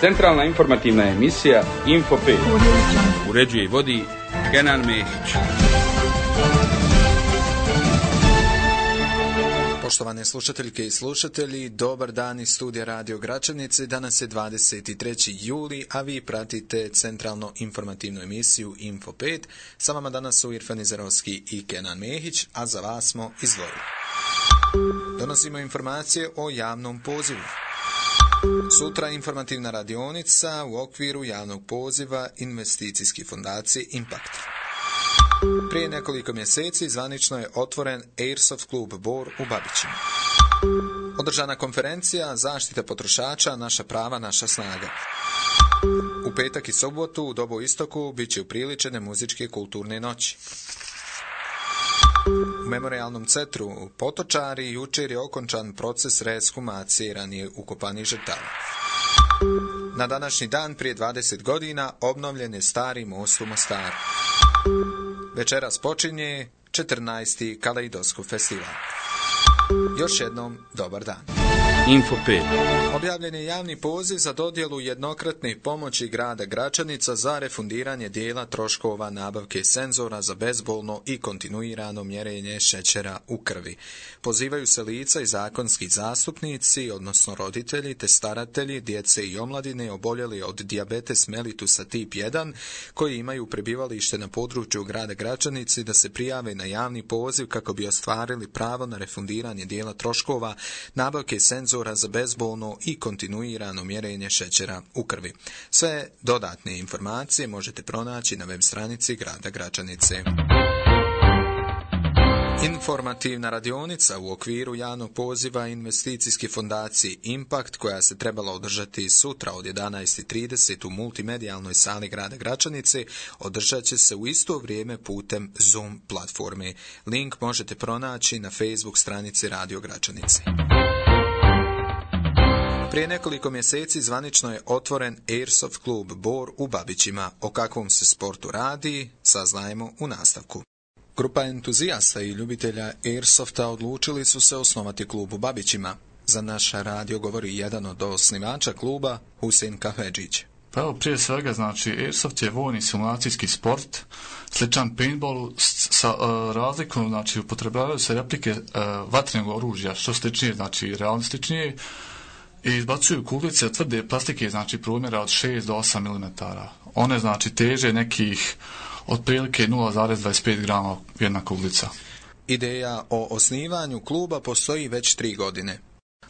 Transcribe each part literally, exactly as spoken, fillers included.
Centralna informativna emisija Info pet. Uređuje i vodi Kenan Mehić. Poštovane slušateljke i slušatelji, dobar dan iz studija Radio Gračanice. Danas je dvadeset treći juli, a vi pratite centralno informativnu emisiju Info pet. Sa vama danas su Irfan Izarovski i Kenan Mehić, a za vas smo izdvojili. Donosimo informacije o javnom pozivu. Sutra informativna radionica u okviru javnog poziva investicijske fondacije Impact. Prije nekoliko mjeseci zvanično je otvoren Airsoft klub Bor u Babićima. Održana konferencija Zaštita potrošača, naša prava, naša snaga. U petak i sobotu u dobu istoku bit će upriličene muzičke kulturne noći. U memorijalnom centru Potočari jučer je okončan proces reeshumacije ranije ukopanih žrtava. Na današnji dan prije dvadeset godina obnovljen je stari most u Mostaru. Večeras počinje četrnaesti Kaleidoskop festival. Još jednom, dobar dan. Info pet. Objavljen je javni poziv za dodjelu jednokratne pomoći grada Gračanica za refundiranje dijela troškova nabavke senzora za bezbolno i kontinuirano mjerenje šećera u krvi. Pozivaju se lica i zakonski zastupnici, odnosno roditelji te staratelji, djece i omladine oboljeli od dijabetes mellitusa tip jedan, koji imaju prebivalište na području grada Gračanici, da se prijave na javni poziv kako bi ostvarili pravo na refundiranje dijela troškova nabavke senzora za bezbolno i kontinuirano mjerenje šećera u krvi. Sve dodatne informacije možete pronaći na web stranici grada Gračanice. Informativna radionica u okviru javnog poziva investicijske fondacije Impact, koja se trebala održati sutra od jedanaest i trideset u multimedijalnoj sali grada Gračanice, održat će se u isto vrijeme putem Zoom platforme. Link možete pronaći na Facebook stranici Radio Gračanice. Prije nekoliko mjeseci zvanično je otvoren Airsoft klub Bor u Babićima. O kakvom se sportu radi, saznajemo u nastavku. Grupa entuzijasta i ljubitelja Airsofta odlučili su se osnovati klub u Babićima. Za naš radio govori jedan od osnivača kluba, Husein Kahvedžić. Pa evo, prije svega, znači, Airsoft je vojni simulacijski sport, sličan paintballu sa uh, razlikom, znači, upotrebljavaju se replike uh, vatrenog oružja, što sličnije, znači, realističnije, i izbacuju kuglice tvrde plastike, znači, promjera od šest do osam milimetara. One, znači, teže nekih otprilike nula zarez dvadeset pet grama jedna kuglica. Ideja o osnivanju kluba postoji već tri godine.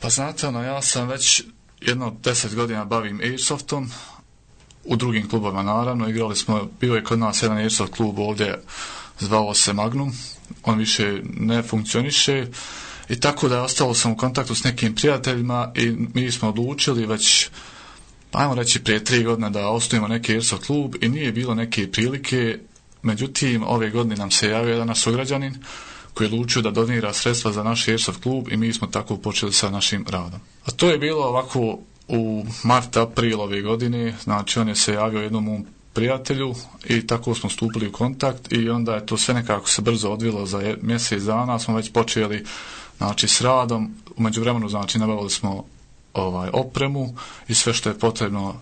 Pa znate, ono, ja sam već jedno deset godina bavim Airsoftom, u drugim klubovima naravno, igrali smo, bio je kod nas jedan Airsoft klub ovdje, zvao se Magnum, on više ne funkcioniše, i tako da je ostalo sam u kontaktu s nekim prijateljima i mi smo odlučili već, ajmo reći, prije tri godine da osnujemo neki Airsoft klub i nije bilo neke prilike. Međutim, ove godine nam se javio jedan naš sugrađanin koji je odlučio da donira sredstva za naš Airsoft klub i mi smo tako počeli sa našim radom. A to je bilo ovako u mart, april ove godine, znači on je se javio jednom mom prijatelju i tako smo stupili u kontakt i onda je to sve nekako se brzo odvilo. Za mjesec dana smo već počeli, znači, s radom. U međuvremenu, znači, nabavili smo ovaj opremu i sve što je potrebno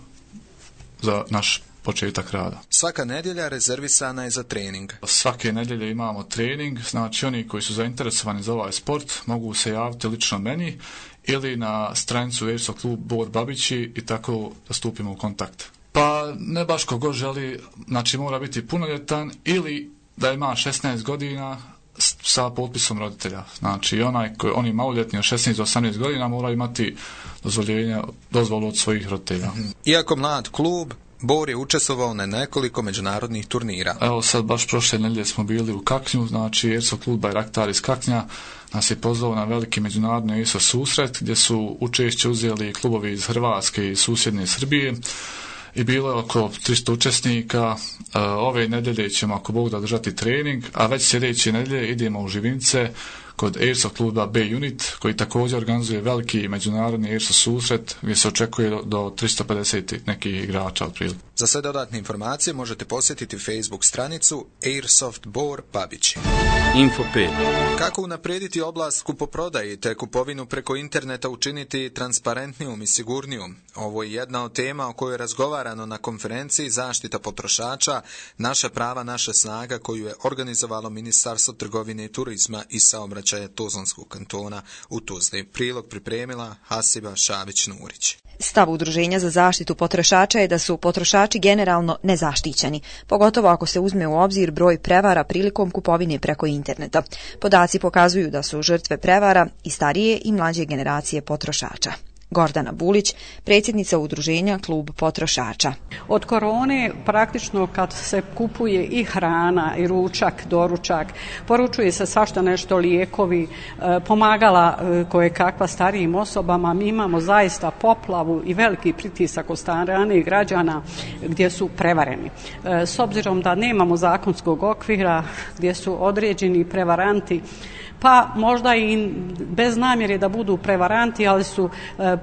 za naš početak rada. Svaka nedjelja rezervisana je za trening. Svake nedjelje imamo trening, znači oni koji su zainteresovani za ovaj sport mogu se javiti lično meni ili na stranicu Airsoft klub Bor Babići i tako da stupimo u kontakt. Pa ne baš kogo želi, znači mora biti punoljetan ili da ima šesnaest godina sa potpisom roditelja. Znači onaj koji, oni maloljetni od šesnaest do osamnaest godina mora imati dozvoljenje, dozvolu od svojih roditelja. Iako mlad klub, Bor je učestvovao na nekoliko međunarodnih turnira. Evo sad baš prošle nedjelje smo bili u Kaknju, znači Airsoft klub Bajraktar iz Kaknja nas je pozvao na veliki međunarodni Airsoft susret gdje su učešće uzeli klubovi iz Hrvatske i susjedne Srbije i bilo je oko tristo učesnika. Ove nedjelje ćemo, ako Bog da, držati trening, a već sljedeće nedjelje idemo u Živince kod Airsoft kluba B-Unit, koji također organizuje veliki međunarodni Airsoft susret gdje se očekuje do, do tristo pedeset nekih igrača otprilike. Za sve dodatne informacije možete posjetiti Facebook stranicu Airsoft Bor Babići. Info pet. Kako unaprijediti oblast kupoprodaje te kupovinu preko interneta učiniti transparentnijom i sigurnijom? Ovo je jedna od tema o kojoj je razgovarano na konferenciji Zaštita potrošača, naša prava, naša snaga, koju je organizovalo Ministarstvo trgovine i turizma i saobraćaja Tuzlanskog kantona u Tuzli. Prilog pripremila Hasiba Šabić-Nurić. Stav Udruženja za zaštitu potrošača je da su potrošači generalno nezaštićeni, pogotovo ako se uzme u obzir broj prevara prilikom kupovine preko interneta. Podaci pokazuju da su žrtve prevara i starije i mlađe generacije potrošača. Gordana Bulić, predsjednica udruženja Klub potrošača. Od korone praktično kad se kupuje i hrana i ručak, doručak, poručuje se svašta nešto, lijekovi, pomagala koje kakva starijim osobama. Mi imamo zaista poplavu i veliki pritisak od strane građana gdje su prevareni. S obzirom da nemamo zakonskog okvira gdje su određeni prevaranti, pa možda i bez namjere da budu prevaranti, ali su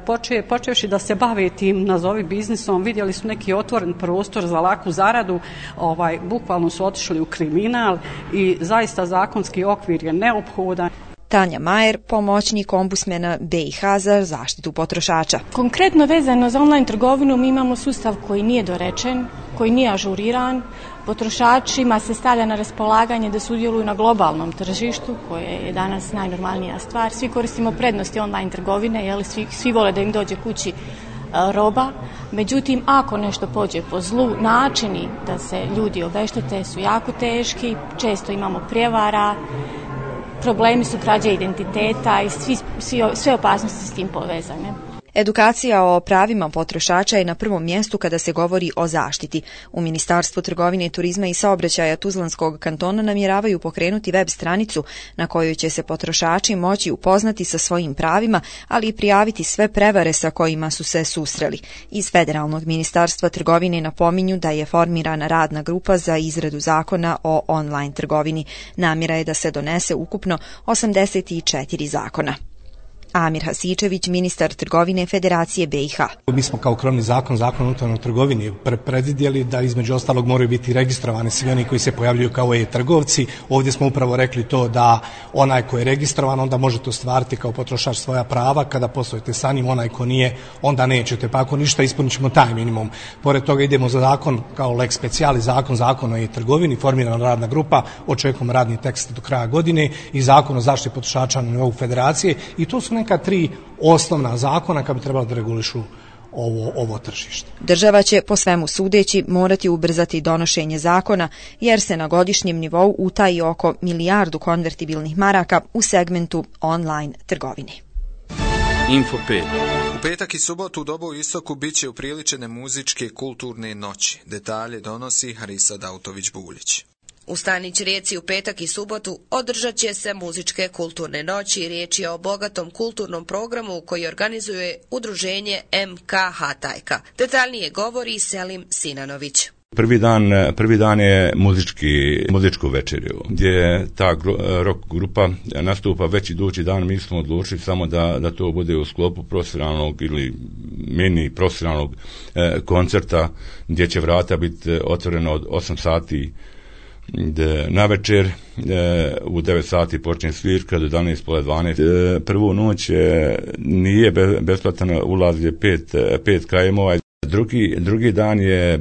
poče, počevši da se bave tim nazovi biznisom, vidjeli su neki otvoren prostor za laku zaradu, ovaj, bukvalno su otišli u kriminal i zaista zakonski okvir je neophodan. Tanja Majer, pomoćnik ombudsmena B i H za zaštitu potrošača. Konkretno vezano za online trgovinu mi imamo sustav koji nije dorečen, koji nije ažuriran. Potrošačima se stavlja na raspolaganje da sudjeluju na globalnom tržištu, koje je danas najnormalnija stvar. Svi koristimo prednosti online trgovine, jel? Svi, svi vole da im dođe kući roba. Međutim, ako nešto pođe po zlu, načini da se ljudi obeštete su jako teški, često imamo prijevara, problemi su krađe identiteta i svi, svi, sve opasnosti s tim povezane. Edukacija o pravima potrošača je na prvom mjestu kada se govori o zaštiti. U Ministarstvu trgovine, turizma i saobraćaja Tuzlanskog kantona namjeravaju pokrenuti web stranicu na kojoj će se potrošači moći upoznati sa svojim pravima, ali i prijaviti sve prevare sa kojima su se susreli. Iz Federalnog ministarstva trgovine napominju da je formirana radna grupa za izradu zakona o online trgovini. Namjera je da se donese ukupno osamdeset četiri zakona. Amir Hasičević, ministar trgovine Federacije B i H. Mi smo kao krovni zakon, zakon o unutarnjoj trgovini predvidjeli da između ostalog moraju biti registrovani svi oni koji se pojavljuju kao e-trgovci. Ovdje smo upravo rekli to da onaj ko je registrovan onda možete ostvariti kao potrošač svoja prava, kada poslujete sa njim, onaj ko nije onda nećete, pa ako ništa ispunit ćemo taj minimum. Pored toga idemo za zakon kao lex speciali, zakon, zakon o e-trgovini, formirana radna grupa, očekujemo radni tekst do kraja godine i zakon o zaštiti potrošača na nivou federacije i to su neka tri osnovna zakona kad bi trebalo da regulišu ovo, ovo tržište. Država će po svemu sudeći morati ubrzati donošenje zakona jer se na godišnjem nivou utaji oko milijardu konvertibilnih maraka u segmentu online trgovine. Info pet. U petak i subotu u dobu istoku bit će upriličene muzičke kulturne noći. Detalje donosi Harisa Dautović-Buljić. U Stanić Rijeci u petak i subotu održat će se muzičke kulturne noći. Riječ je o bogatom kulturnom programu koji organizuje udruženje M K Hatajka. Detaljnije govori Selim Sinanović. Prvi dan, prvi dan je muzički, muzičku večerju, gdje ta rock grupa nastupa već idući dan. Mi smo odlučili samo da, da to bude u sklopu profesionalnog ili mini profesionalnog eh, koncerta, gdje će vrata biti otvorena od osam sati na večer, e, u devet sati počne svirka do jedanaest pola dvanaest. E, prvu noć e, nije be, besplatan ulaz, je pet, pet kajmova. Drugi, drugi dan je e,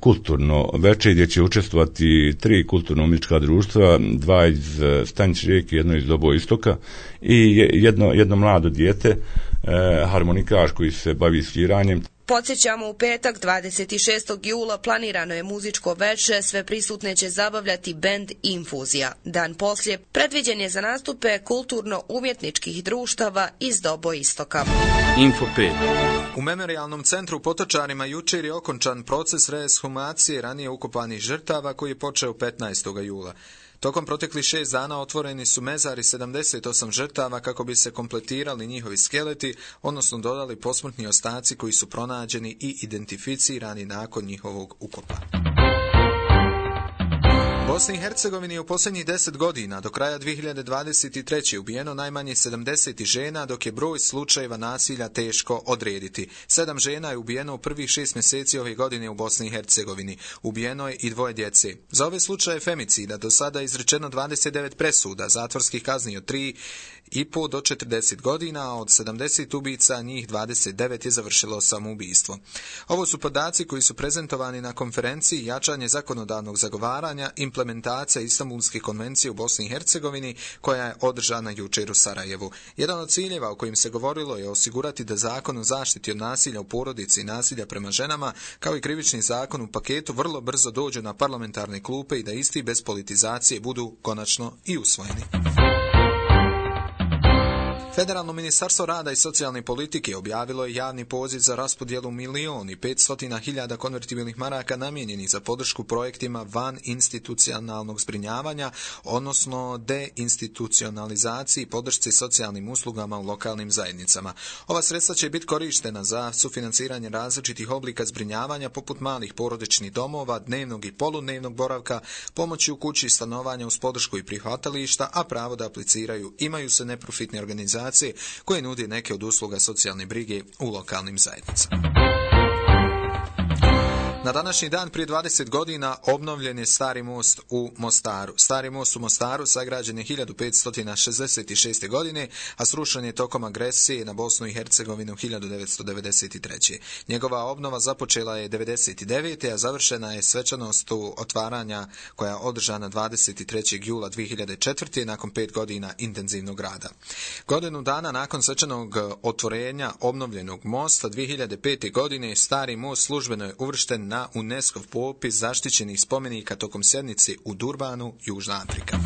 kulturno večer gdje će učestvovati tri kulturno-umjetnička društva, dva iz Stanić Rijeke, jedno iz Dobo istoka i jedno, jedno mlado dijete, e, harmonikaš koji se bavi sviranjem. Podsjećamo, u petak dvadeset šestog jula planirano je muzičko veče, sve prisutne će zabavljati bend Infuzija. Dan poslije predviđen je za nastupe kulturno-umjetničkih društava iz Dobo istoka. Info pet. U Memorijalnom centru Potočarima jučer je okončan proces reeshumacije ranije ukopanih žrtava koji je počeo petnaestog jula. Tokom proteklih šest dana otvoreni su mezari sedamdeset osam žrtava kako bi se kompletirali njihovi skeleti, odnosno dodali posmrtni ostaci koji su pronađeni i identificirani nakon njihovog ukopa. Bosni i Hercegovini je u posljednjih deset godina do kraja dvije hiljade dvadeset treće ubijeno najmanje sedamdeset žena, dok je broj slučajeva nasilja teško odrediti. Sedam žena je ubijeno u prvih šest mjeseci ove godine u Bosni i Hercegovini. Ubijeno je i dvoje djece. Za ove slučaje femicida do sada je izrečeno dvadeset devet presuda, zatvorskih kazni od tri i po do četrdeset godina, a od sedamdeset ubica njih dvadeset devet je završilo samoubistvo. Ovo su podaci koji su prezentovani na konferenciji Jačanje zakonodavnog zagovaranja, implementacija Istanbulske konvencije u Bosni i Hercegovini, koja je održana jučer u Sarajevu. Jedan od ciljeva o kojim se govorilo je osigurati da zakon o zaštiti od nasilja u porodici i nasilja prema ženama, kao i krivični zakon u paketu, vrlo brzo dođu na parlamentarne klupe i da isti bez politizacije budu konačno i usvojeni. Federalno ministarstvo rada i socijalne politike objavilo je javni poziv za raspodjelu milijon i petstotina hiljada konvertibilnih maraka namijenjenih za podršku projektima van institucionalnog zbrinjavanja, odnosno deinstitucionalizaciji i podršci socijalnim uslugama u lokalnim zajednicama. Ova sredstva će biti korištena za sufinanciranje različitih oblika zbrinjavanja poput malih porodičnih domova, dnevnog i poludnevnog boravka, pomoći u kući, stanovanja uz podršku i prihvatališta, a pravo da apliciraju imaju se neprofitne organizacije koje nudi neke od usluga socijalne brige u lokalnim zajednicama. Na današnji dan prije dvadeset godina obnovljen je Stari most u Mostaru. Stari most u Mostaru sagrađen je hiljadu petsto šezdeset šeste. godine, a srušen je tokom agresije na Bosnu i Hercegovinu hiljadu devetsto devedeset treće. Njegova obnova započela je devedeset devete. a završena je svečanost otvaranja koja je održana dvadeset trećeg jula dvije hiljade četvrte. nakon pet godina intenzivnog rada. Godinu dana nakon svečanog otvorenja obnovljenog mosta dvije hiljade pete. godine Stari most službeno je uvršten na UNESCO popis zaštićenih spomenika tokom sjednice u Durbanu, Južna Afrika.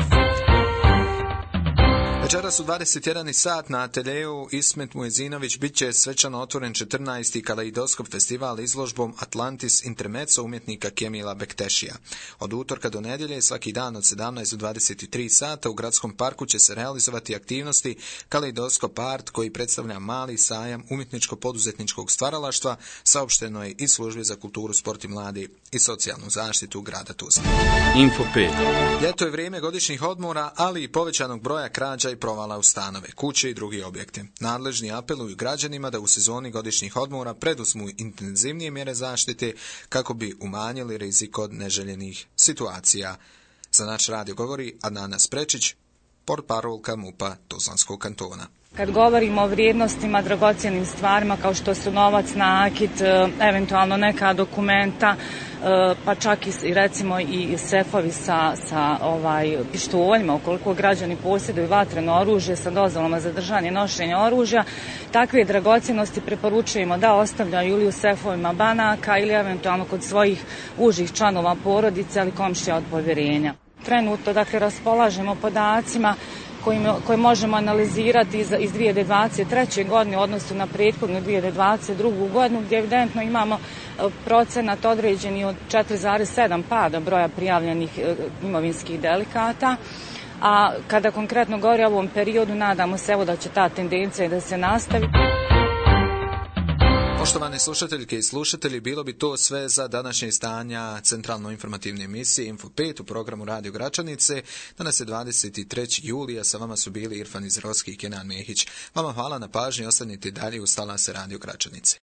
Večeras u dvadeset jedan sat na ateljeju Ismet Muezinović bit će svečano otvoren četrnaesti kaleidoskop festival izložbom Atlantis Intermezzo umjetnika Kemila Bektešija. Od utorka do nedjelje svaki dan od sedamnaest do dvadeset tri sata u gradskom parku će se realizovati aktivnosti Kaleidoskop Art, koji predstavlja mali sajam umjetničko-poduzetničkog stvaralaštva, saopšteno je iz Službe za kulturu, sport i mladi i socijalnu zaštitu grada Tuzle. Info pet. Ljeto je vrijeme godišnjih odmora, ali i povećanog broja krađa i provala u stanove, kuće i drugi objekte. Nadležni apeluju građanima da u sezoni godišnjih odmora preduzmu intenzivnije mjere zaštite kako bi umanjili rizik od neželjenih situacija. Za naš radio govori Adnana Sprečić, portparolka MUP-a Tuzlanskog kantona. Kad govorimo o vrijednostima, dragocjenim stvarima kao što su novac, nakit, eventualno neka dokumenta, pa čak i recimo i sefovi sa, sa ovaj, pištoljima, ukoliko građani posjeduju vatreno oružje sa dozvolama za držanje nošenja oružja, takve dragocjenosti preporučujemo da ostavljaju ili u sefovima banaka ili eventualno kod svojih užih članova porodice ali komšija od povjerenja. Trenutno, dakle, raspolažemo podacima koje možemo analizirati iz, iz dvije hiljade dvadeset treće. godine u odnosu na prethodnu dvije hiljade dvadeset drugu. godinu, gdje evidentno imamo procenat određeni od četiri zarez sedam pada broja prijavljenih imovinskih delikata. A kada konkretno govori o ovom periodu, nadamo se evo da će ta tendencija da se nastavi. Poštovane slušateljke i slušatelji, bilo bi to sve za današnje izdanja centralno informativne emisije Info pet u programu Radio Gračanice. Danas je dvadeset treći juli, a sa vama su bili Irfan Izrovski i Kenan Mehić. Vama hvala na pažnji, ostanite dalje uz talase Radio Gračanice.